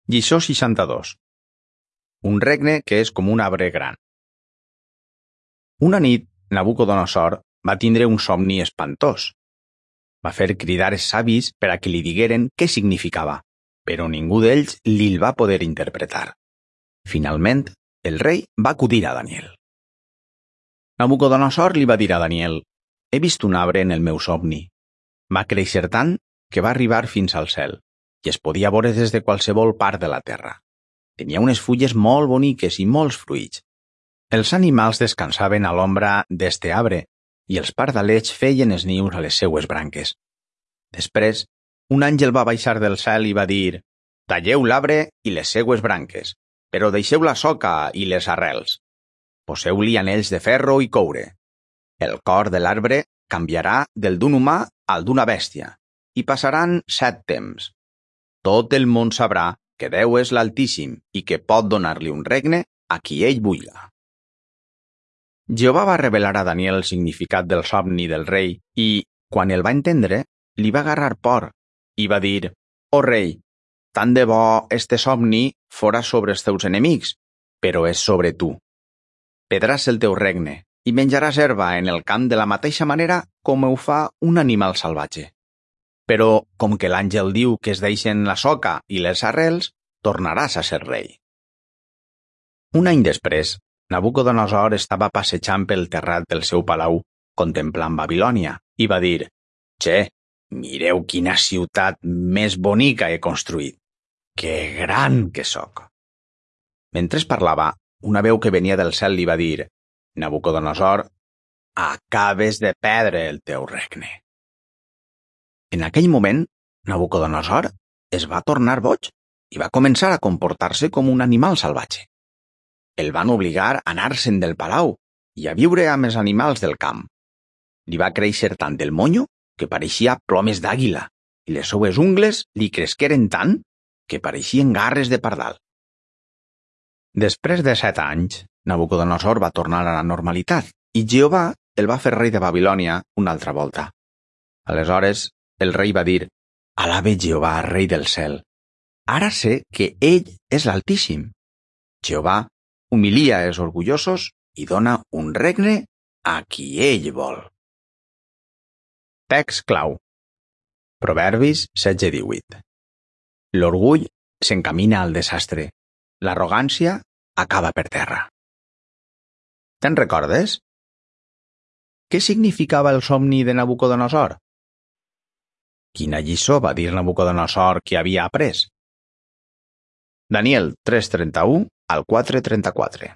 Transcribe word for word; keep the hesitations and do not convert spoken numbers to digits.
Lliçó seixanta-dos. Un regne que és com un arbre gran. Una nit, Nabucodonosor va tindre un somni espantós. Va fer cridar els savis per a que li digueren què significava, però ningú d'ells li'l va poder interpretar. Finalment, el rei va acudir a Daniel. Nabucodonosor li va dir a Daniel: «He vist un arbre en el meu somni. Va créixer tant que va arribar fins al cel i es podia veure des de qualsevol part de la terra. Tenia unes fulles molt boniques i molts fruits. Els animals descansaven a l'ombra d'este arbre i els pardalets feien els nius a les seues branques. Després, un àngel va baixar del cel i va dir: «Talleu l'arbre i les seues branques, però deixeu la soca i les arrels. Poseu-li anells de ferro i coure. El cor de l'arbre canviarà del d'un humà al d'una bèstia, i passaran set temps. Tot el món sabrà que Déu és l'Altíssim i que pot donar-li un regne a qui ell vulga». Jehovà va revelar a Daniel el significat del somni del rei i, quan el va entendre, li va agarrar por i va dir: «Oh rei, tant de bo este somni fora sobre els teus enemics, però és sobre tu. Pedràs el teu regne i menjaràs herba en el camp de la mateixa manera com ho fa un animal salvatge. Però, com que l'àngel diu que es deixen la soca i les arrels, tornaràs a ser rei». Un any després, Nabucodonosor estava passejant pel terrat del seu palau, contemplant Babilònia, i va dir: «Che, mireu quina ciutat més bonica he construït. Que gran que sóc!» Mentre parlava, una veu que venia del cel li va dir: «Nabucodonosor, acabes de perdre el teu regne». En aquell moment, Nabucodonosor es va tornar boig i va començar a comportar-se com un animal salvatge. El van obligar a anar-se'n del palau i a viure amb els animals del camp. Li va créixer tant el monyo que pareixia plomes d'àguila i les seues ungles li cresqueren tant que pareixien garres de pardal. Després de set anys, Nabucodonosor va tornar a la normalitat i Jehovà el va fer rei de Babilònia una altra volta. Aleshores, el rei va dir: «Alabe Jehovà, rei del cel. Ara sé que ell és l'Altíssim. Jehovà humilia els orgullosos i dona un regne a qui ell vol». Text clau. Proverbis setze divuit. L'orgull s'encamina al desastre. L'arrogància acaba per terra. Te'n recordes? Què significava el somni de Nabucodonosor? Quina lliçó va dir Nabucodonosor que havia après? Daniel tres trenta-u al quatre trenta-quatre.